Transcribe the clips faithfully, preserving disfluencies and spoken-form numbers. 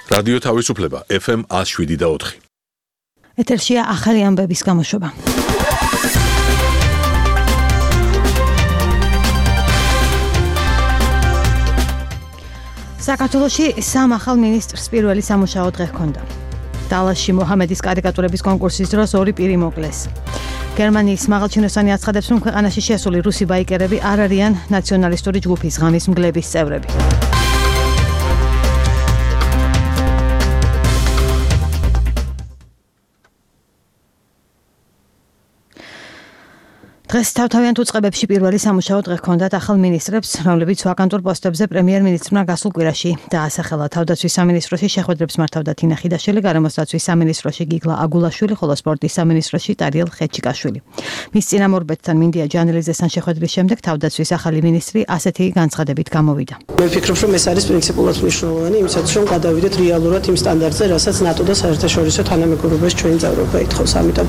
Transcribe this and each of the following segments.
რადიო თავისუფლება ეფ ემ one oh seven და ოთხი. ეთერშია ახალი ამბების გამოშვება. საქართველოში სამ ახალ მინისტრს პირველი სამუშაო დღე ჰქონდა. დალასში მოჰამედის კარიკატურების კონკურსის დროს ორი პირი მოკლეს. გერმანიის მაღალჩინოსანი აცხადებს, რომ ქვეყანაში შესული რუსი ბაიკერები არ არიან ნაციონალისტური ჯგუფის ღამის მგლების წევრები. დღეს თავთავიანთ უწყებებში პირველი სამუშაო დღე ჰქონდათ ახალ მინისტრებს, რომლებიც ვაკანტურ პოსტებზე პრემიერ-მინისტრმა გასულ კვირაში დაასახელა. თავდაცვის სამინისტროში შეხვედრებს მართავდა თინა ხიდაშვილი, გარემოს დაცვის სამინისტროში გიგლა აგულაშვილი, ხოლო სპორტის სამინისტროში ტარიელ ხეჩიკაშვილი. მის წინამორბედთან მინდია ჯანელიძესთან შეხვედრის შემდეგ თავდაცვის ახალი მინისტრი ასეთი განცხადებით გამოვიდა. მე ვფიქრობ, რომ ეს არის პრინციპულად მნიშვნელოვანი, იმისათვის რომ გადავიდეთ რეალურად იმ სტანდარტზე, რასაც ნატო და საერთაშორისო თანამეგობრობის ჩვენი წევრობა ითხოვს. ამიტომ,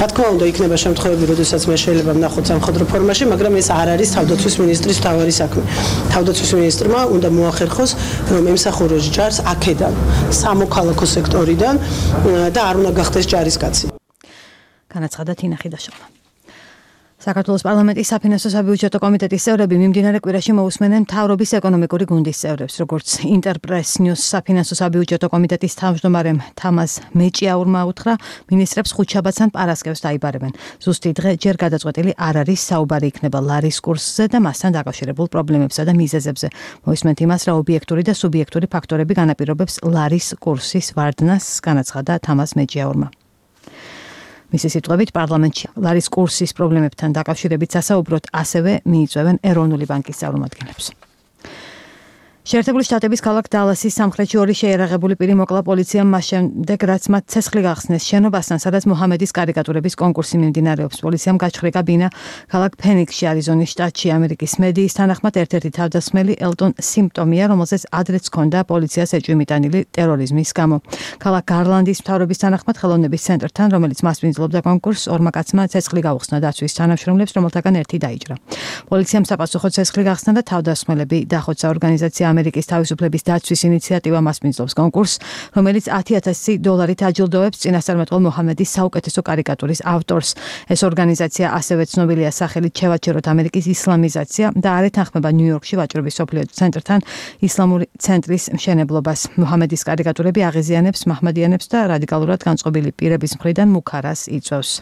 რა თქმა უნდა, იქნება შემთხვევები, როდესაც მე შეიძლება ნახოთ სამხედრო ფორმაში, მაგრამ ეს არ არის თავდაცვის მინისტრის მთავარი საქმე. თავდაცვის მინისტრმა უნდა მოახერხოს, რომ ემსახუროს ჯარს აქედან, სამოქალაქო სექტორიდან და არ უნდა გახდეს ჯარისკაცი. განაცხადა თინა ხიდაშვილმა. საქართველოს პარლამენტის საფინანსო საბიუჯეტო კომიტეტის წევრები მიმდინარე კვირაში მოусმენენ მთავრობის ეკონომიკური გუნდის წევრებს, როგორც ინტერპრეს ნიუს საფინანსო საბიუჯეტო კომიტეტის თავმჯდომარემ თამაზ მეჭიაურმა უთხრა, მინისტრებს ხუთშაბათს ან პარასკევს დაიბარებენ. ზუსტი დღე ჯერ გადაწყვეტილი არ არის, საუბარი იქნება ლარის კურსზე და მასთან დაკავშირებულ პრობლემებსა და მიზეზებზე. მოისმენთ იმას, რა ობიექტური და სუბიექტური ფაქტორები განაპირობებს ლარის კურსის ვარდნას, განაცხადა თამაზ მეჭიაურმა. მისი სიტყვებით, პარლამენტში ლარის კურსის პრობლემებთან დაკავშირებით სასაუბროდ ასევე მიიწვევენ ეროვნული ბანკის წარმომადგენლებს. შეერთებული შტატების ქალაქ დალასის სამხრეთში ორი შეიარაღებული პირი მოკლა პოლიციამ მას შემდეგ, რაც მათ ცეცხლი გახსნეს შენობასთან, სადაც მოჰამედის კარიკატურების კონკურსი მიმდინარეობს. პოლიციამ გაჩხრიკა ბინა ქალაქ ფენიქსში, არიზონის შტატში. ამერიკის მედიის თანახმად ერთ-ერთი თავდასხმელი ელტონ სიმპტომია, რომელზეც ადრეც ჰქონდა პოლიციას ეჭვი მიტანილი ტერორიზმის გამო. ქალაქ გარლანდის მთავრობის თანახმად ხელოვნების ცენტრთან, რომელიც მასპინძლობდა კონკურსს, ორმა კაცმა ცეცხლი გაუხსნა დაცვის თანამშრომლებს, რომელთაგან ერთი დაიჭრა. პოლიციამ საპასუხოდ ცეცხლი გახსნა და თავდასხმელები დახოცა. ორგანიზაცია ამერიკის თავისუფლების დაცვის ინიციატივა მასპინძლობს კონკურსს, რომელიც ათი ათასი დოლარით აჯილდოებს წინასწარმეტყველ მოჰამედის საუკეთესო კარიკატურის ავტორს. ეს ორგანიზაცია ასევე ცნობილია სახელით შევაჩეროთ ამერიკის ისლამიზაცია და არ ეთანხმება ნიუ-იორკში ვაჭრობის სოფლიო ცენტრთან ისლამური ცენტრის მშენებლობას. მოჰამედის კარიკატურები აღიზიანებს მაჰმადიანებს და რადიკალურად განწყობილი პირების მხრიდან მუქარას იწვევს.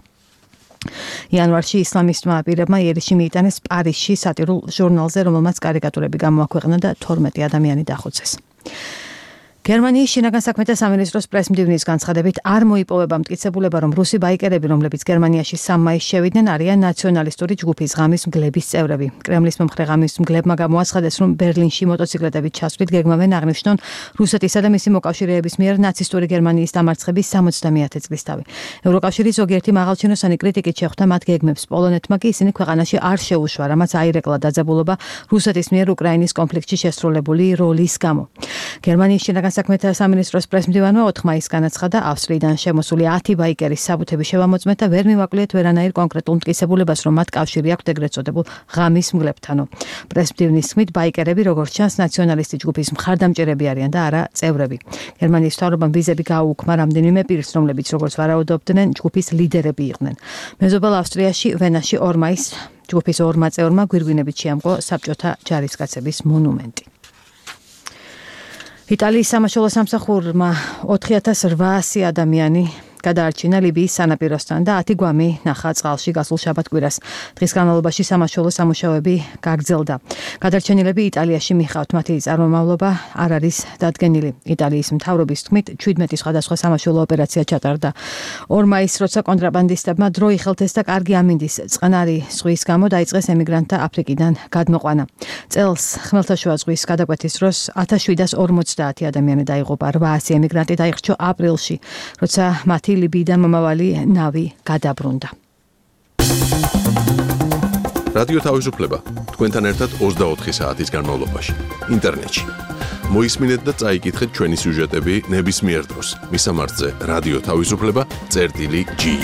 იანვარში ისლამისტმა პირებმა იერიში მიიტანეს პარიზში სატირულ ჟურნალზე, რომელმაც კარიკატურები გამოაქვეყნა და თორმეტი ადამიანი დახოცეს. გერმანიის შინაგან საქმეთა სამინისტროს პრესმდივნის განცხადებით არ მოიპოვება მტკიცებულება, რომ რუსი ბაიკერები, რომლებიც გერმანიაში სამ მაისს შევიდნენ, არიან ნაციონალისტური ჯგუფის ღამის მგლების წევრები. კრემლის მომხრე ღამის მგლებმა გამოაცხადეს, რომ ბერლინში მოტოციკლეტებით ჩასვლით გეგმავენ აღნიშნონ რუსეთისა და მისი მოკავშირეების მიერ ნაცისტური გერმანიის დამარცხების სამოცდამეათე წლისთავი. ევროკავშირის ზოგიერთი მაღალჩინოსანი კრიტიკით შეხვდა მათ გეგმებს. პოლონეთმა კი ისინი ქვეყანაში არ შეუშვა, რამაც აირეკლა დაძაბულობა რუსეთის მიერ უკრაინის კონფლიქტში შესრულებული როლის გამო. გერმანიის შინაგან საქმეთა სამინისტროს პრესმდივანმა ოთხ მაისს განაცხადა, ავსტრიიდან შემოსული ათი ბაიკერის საბუთები შევამოწმეთ და ვერ მივაკლიეთ ვერანაირ კონკრეტულ მტკიცებულებას, რომ მათ კავშირი აქვთ ეგრეთ წოდებულ ღამის მგლებთანო. პრესმდივნის თქმით, ბაიკერები როგორც ჩანს ნაციონალისტი ჯგუფის მხარდამჭერები არიან და არა წევრები. გერმანიის მთავრობამ ვიზები გააუქმა რამდენიმე პირს, რომლებიც როგორც ვარაუდობდნენ, ჯგუფის ლიდერები იყვნენ. მეზობელ ავსტრიაში, ვენაში ორ მაისს ჯგუფის ორმა წევრმა გვირგვინებით შეამკო საბჭოთა ჯარისკაცების მონუმენტი. იტალიის სამაშველო სამსახურმა ოთხი ათას რვაასი ადამიანი გადაარჩინა ლიბიის სანაპიროსთან და ათი გვამი ნახა წყალში გასულ შაბათ-კვირას. დღის განმავლობაში სამაშველო სამუშაოები გაგრძელდა. გადარჩენილები იტალიაში მიხავთ, მათი წარმომავლობა არ არის დადგენილი. იტალიის მთავრობის თქმით, შვიდმეტი სხვადასხვა სამაშველო ოპერაცია ჩატარდა. ორ მაისს, როცა კონტრაბანდისტებმა დრო იხელთეს და კარგი ამინდის წყნარი ზღვის გამო დაიწყეს ემიგრანტთა აფრიკიდან გადმოყვანა. წელს ხმელთაშუა ზღვის გადაკვეთის დროს ათას შვიდას ორმოცდაათი ადამიანი დაიღუპა. რვაასი ემიგრანტი დაიხრჩო აპრილში, როცა მათი ლიბიიდან მომავალი ნავი გადაბრუნდა. რადიო თავისუფლება თქვენთან ერთად ოცდაოთხი საათის განმავლობაში ინტერნეტში. მოისმინეთ და წაიკითხეთ ჩვენი სიუჟეტები ნებისმიერ დროს. მისამართზე რადიო თავისუფლება წერტილი ჯი.